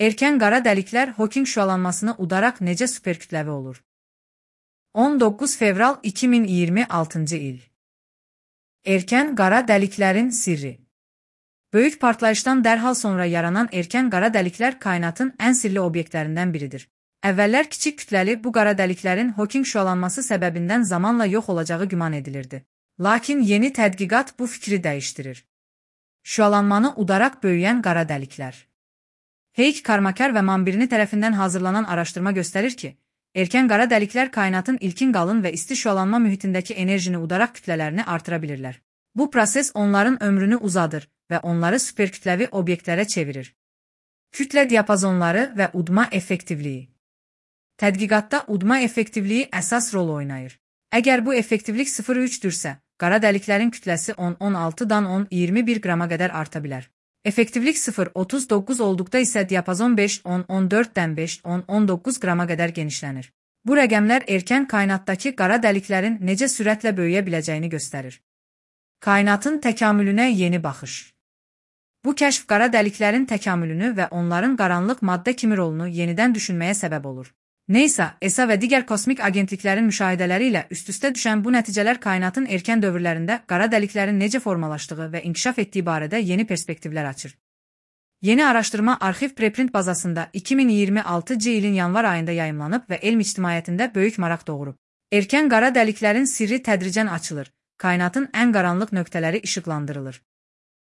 Erkən qara dəliklər Hawking şüalanmasını udaraq necə superkütləvi olur? 19 fevral 2026-cı il. Erkən qara dəliklərin sirri. Böyük partlayışdan dərhal sonra yaranan erkən qara dəliklər kainatın ən sirli obyektlərindən biridir. Əvvəllər kiçik kütləli bu qara dəliklərin Hawking şüalanması səbəbindən zamanla yox olacağı güman edilirdi. Lakin yeni tədqiqat bu fikri dəyişdirir. Şüalanmanı udaraq böyüyən qara dəliklər. Heik Karmakar və Mambirini tərəfindən hazırlanan araşdırma göstərir ki, erkən qara dəliklər kainatın ilkin qalın və isti şüalanma mühitindəki enerjini udaraq kütlələrini artıra bilirlər. Bu proses onların ömrünü uzadır və onları superkütləvi obyektlərə çevirir. Kütlə diapazonları və udma effektivliyi. Tədqiqatda udma effektivliyi əsas rol oynayır. Əgər bu effektivlik 0,3-dürsə, qara dəliklərin kütləsi 10-16-dan 10-21 qrama qədər arta bilər. Effektivlik 0,39 olduqda isə diapazon 5-10-14-dən 5-10-19 qrama qədər genişlənir. Bu rəqəmlər erkən kainatdakı qara dəliklərin necə sürətlə böyüyə biləcəyini göstərir. Kainatın təkamülünə yeni baxış. Bu kəşf qara dəliklərin təkamülünü və onların qaranlıq maddə kimi rolunu yenidən düşünməyə səbəb olur. NASA, ESA və digər kosmik agentliklərin müşahidələri ilə üst-üstə düşən bu nəticələr kainatın erkən dövrlərində qara dəliklərin necə formalaşdığı və inkişaf etdiyi barədə yeni perspektivlər açır. Yeni araşdırma arxiv preprint bazasında 2026-cı ilin yanvar ayında yayımlanıb və elm ictimaiyyətində böyük maraq doğurub. Erkən qara dəliklərin sirri tədricən açılır, kainatın ən qaranlıq nöqtələri işıqlandırılır.